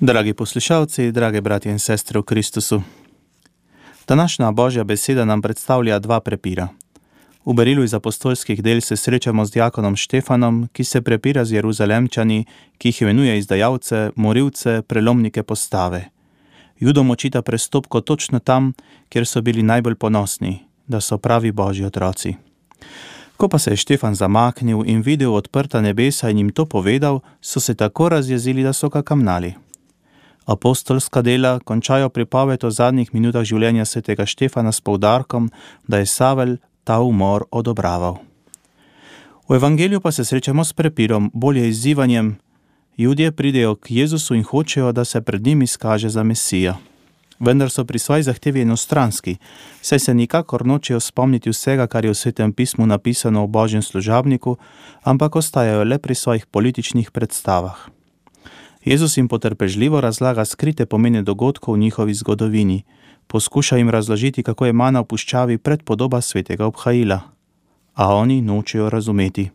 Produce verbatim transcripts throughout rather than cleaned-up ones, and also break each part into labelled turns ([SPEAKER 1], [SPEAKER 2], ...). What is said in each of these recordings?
[SPEAKER 1] Dragi poslušalci, drage bratje in sestre v Kristusu. Današnja Božja beseda nam predstavlja dva prepira. V berilu iz apostolskih del se srečamo z diakonom Štefanom, ki se prepira z Jeruzalemčani, ki jih imenuje izdajalce, morilce, prelomnike postave. Judom očita prestopko točno tam, kjer so bili najbolj ponosni, da so pravi Božji otroci. Ko pa se je Štefan zamaknil in videl odprta nebesa in jim to povedal, so se tako razjezili, da so ga kamnali. Apostolska dela končajo pripoved o zadnjih minutah življenja svetega Štefana s poudarkom, da je Savel ta umor odobraval. V evangeliju pa se srečamo s prepirom, bolje izzivanjem. Judje pridejo k Jezusu in hočejo, da se pred njim izkaže za Mesija. Vendar so pri svoji zahtevi enostranski, saj se nikakor nočejo spomniti vsega, kar je v Svetem pismu napisano o Božjem služabniku, ampak ostajajo le pri svojih političnih predstavah. Jezus jim potrpežljivo razlaga skrite pomene dogodkov v njihovi zgodovini. Poskuša jim razložiti, kako je mana v puščavi predpodoba svetega Obhaila. A oni nočejo razumeti.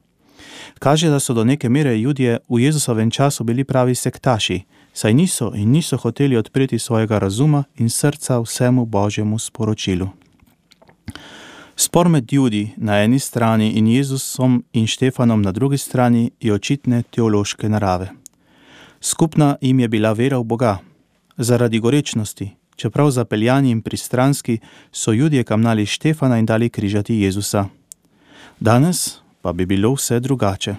[SPEAKER 1] Kaže, da so do neke mere Judje v Jezusovem času bili pravi sektaši, saj niso in niso hoteli odpreti svojega razuma in srca vsemu Božjemu sporočilu. Spor med Judi na eni strani in Jezusom in Štefanom na drugi strani je očitne teološke narave. Skupna jim je bila vera v Boga. Zaradi gorečnosti, čeprav zapeljani in pristranski, so Judje kamnali Štefana in dali križati Jezusa. Danes pa bi bilo vse drugače.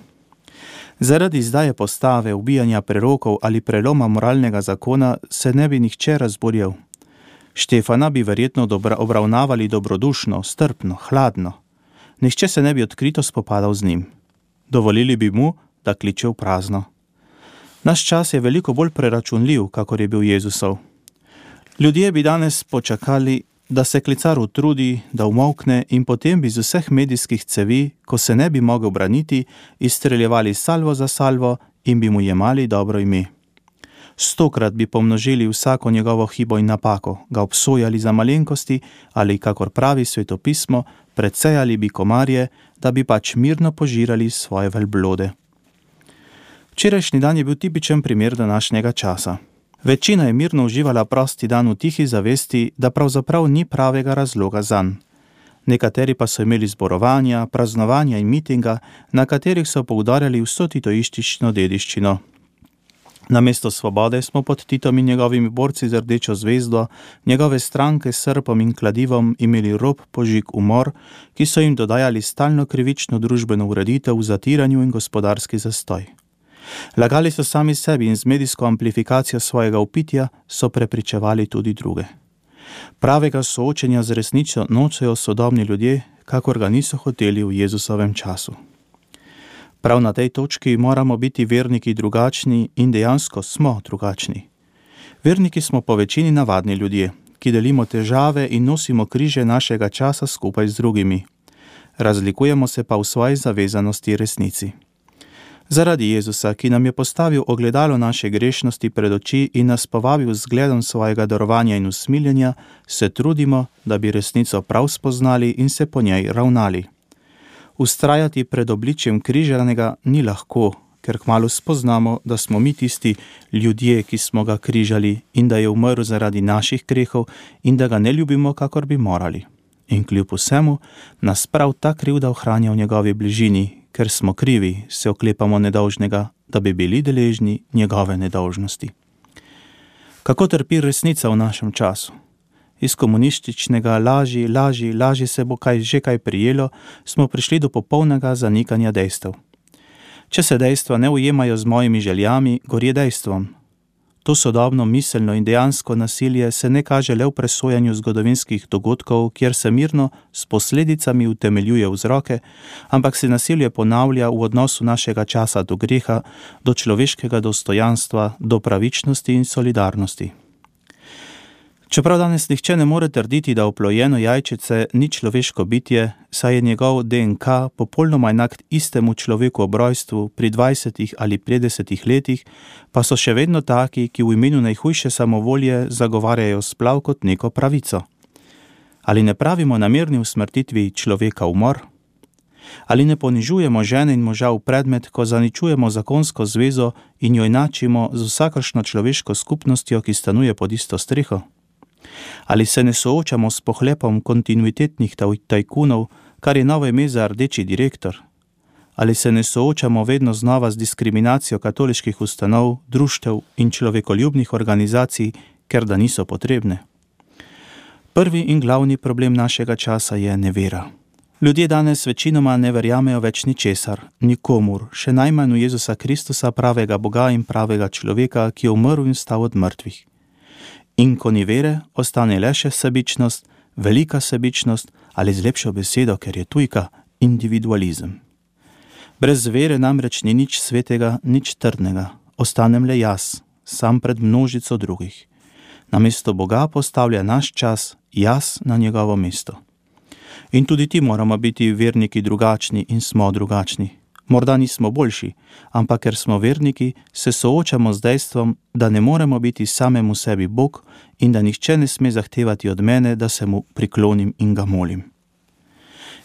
[SPEAKER 1] Zaradi izdaje postave, ubijanja prerokov ali preloma moralnega zakona se ne bi nihče razburjal. Štefana bi verjetno dobra, obravnavali dobrodušno, strpno, hladno. Nihče se ne bi odkrito spopadal z njim. Dovolili bi mu, da kliče v prazno. Naš čas je veliko bolj preračunljiv, kakor je bil Jezusov. Ljudje bi danes počakali, da se klicar utrudi, da umolkne in potem bi z vseh medijskih cevi, ko se ne bi mogel braniti, izstreljevali salvo za salvo in bi mu jemali dobro ime. Stokrat bi pomnožili vsako njegovo hibo in napako, ga obsojali za malenkosti ali, kakor pravi svetopismo, predsejali bi komarje, da bi pač mirno požirali svoje velblode. Včerajšnji dan je bil tipičen primer današnjega časa. Večina je mirno uživala prosti dan v tihi zavesti, da pravzaprav ni pravega razloga zanj. Nekateri pa so imeli zborovanja, praznovanja in mitinga, na katerih so poudarjali vso titoistično dediščino. Namesto svobode smo pod Titom in njegovimi borci z rdečo zvezdo, njegove stranke s srpom in kladivom imeli rob, požig, umor, ki so jim dodajali stalno krivično družbeno ureditev v zatiranju in gospodarski zastoj. Lagali so sami sebi in z medijsko amplifikacijo svojega upitja so prepričevali tudi druge. Pravega soočenja z resnico nočejo sodobni ljudje, kakor ga niso hoteli v Jezusovem času. Prav na tej točki moramo biti verniki drugačni in dejansko smo drugačni. Verniki smo po večini navadni ljudje, ki delimo težave in nosimo križe našega časa skupaj z drugimi. Razlikujemo se pa v svoji zavezanosti resnici. Zaradi Jezusa, ki nam je postavil ogledalo naše grešnosti pred oči in nas povabil z zgledom svojega darovanja in usmiljenja, se trudimo, da bi resnico prav spoznali in se po njej ravnali. Vztrajati pred obličjem križanega ni lahko, ker kmalu spoznamo, da smo mi tisti ljudje, ki smo ga križali in da je umrl zaradi naših grehov in da ga ne ljubimo, kakor bi morali. In kljub vsemu nas prav ta krivda ohranja v njegovi bližini, ker smo krivi, se oklepamo nedolžnega, da bi bili deležni njegove nedolžnosti. Kako trpi resnica v našem času? Iz komunističnega laži, laži, laži se bo kaj že kaj prijelo, smo prišli do popolnega zanikanja dejstev. Če se dejstva ne ujemajo z mojimi željami, gorje dejstvom. To sodobno miselno in dejansko nasilje se ne kaže le v presojanju zgodovinskih dogodkov, kjer se mirno s posledicami utemeljuje vzroke, ampak se nasilje ponavlja v odnosu našega časa do greha, do človeškega dostojanstva, do pravičnosti in solidarnosti. Čeprav danes nihče ne more trditi, da oplojeno jajčice ni človeško bitje, saj je njegov D N K popolnoma enak istemu človeku ob rojstvu pri dvajsetih ali petdesetih letih, pa so še vedno taki, ki v imenu najhujše samovolje zagovarjajo splav kot neko pravico. Ali ne pravimo namerni usmrtitvi človeka umor? Ali ne ponižujemo žene in moža v predmet, ko zaničujemo zakonsko zvezo in jo enačimo z vsakršno človeško skupnostjo, ki stanuje pod isto streho? Ali se ne soočamo s pohlepom kontinuitetnih tajkunov, kar je novo ime za rdeči direktor? Ali se ne soočamo vedno znova z diskriminacijo katoliških ustanov, društev in človekoljubnih organizacij, ker da niso potrebne? Prvi in glavni problem našega časa je nevera. Ljudje danes večinoma ne verjamejo več ničesar, nikomur, še najmanj v Jezusa Kristusa, pravega Boga in pravega človeka, ki je umrl in vstal od mrtvih. In ko ni vere, ostane le še sebičnost, velika sebičnost ali z lepšo besedo, ker je tujka, individualizem. Brez vere namreč ni nič svetega, nič trdnega, ostanem le jaz, sam pred množico drugih. Namesto Boga postavlja naš čas, jaz na njegovo mesto. In tudi ti moramo biti verniki drugačni in smo drugačni. Morda nismo boljši, ampak ker smo verniki, se soočamo z dejstvom, da ne moremo biti samemu sebi Bog in da nihče ne sme zahtevati od mene, da se mu priklonim in ga molim.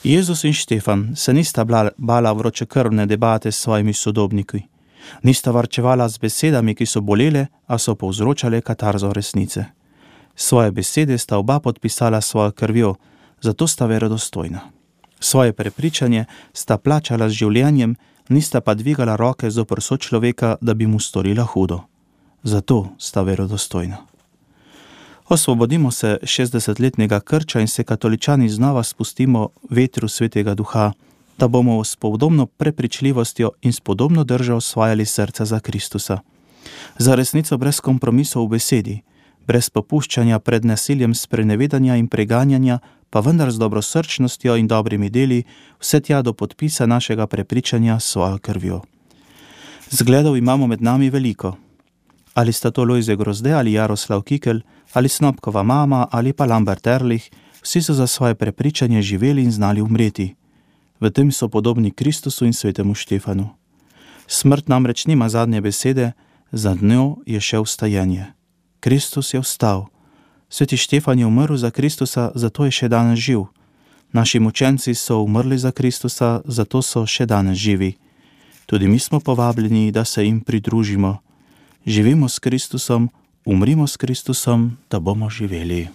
[SPEAKER 1] Jezus in Štefan se nista bala vročekrvne debate s svojimi sodobniki. Nista varčevala z besedami, ki so bolele, a so povzročale katarzo resnice. Svoje besede sta oba podpisala svojo krvjo, zato sta verodostojna. Svoje prepričanje sta plačala z življenjem, nista pa dvigala roke zoper sočloveka, da bi mu storila hudo. Zato sta verodostojna. Osvobodimo se šestdesetletnega krča in se katoličani znova spustimo vetru Svetega Duha, da bomo s podobno prepričljivostjo in s podobno držo osvajali srca za Kristusa. Za resnico brez kompromisov v besedi, brez popuščanja pred nasiljem sprenevedanja in preganjanja, pa vendar z dobrosrčnostjo in dobrimi deli, vse tja do podpisa našega prepričanja s svojo krvjo. Zgledov imamo med nami veliko. Ali sta to Lojze Grozde ali Jaroslav Kikelj, ali Snopkova mama ali pa Lambert Ehrlich, vsi so za svoje prepričanje živeli in znali umreti. V tem so podobni Kristusu in svetemu Štefanu. Smrt namreč nima zadnje besede, za njo je še vstajenje. Kristus je vstal. Sveti Štefan je umrl za Kristusa, zato je še danes živ. Naši mučenci so umrli za Kristusa, zato so še danes živi. Tudi mi smo povabljeni, da se jim pridružimo. Živimo s Kristusom, umrimo s Kristusom, da bomo živeli.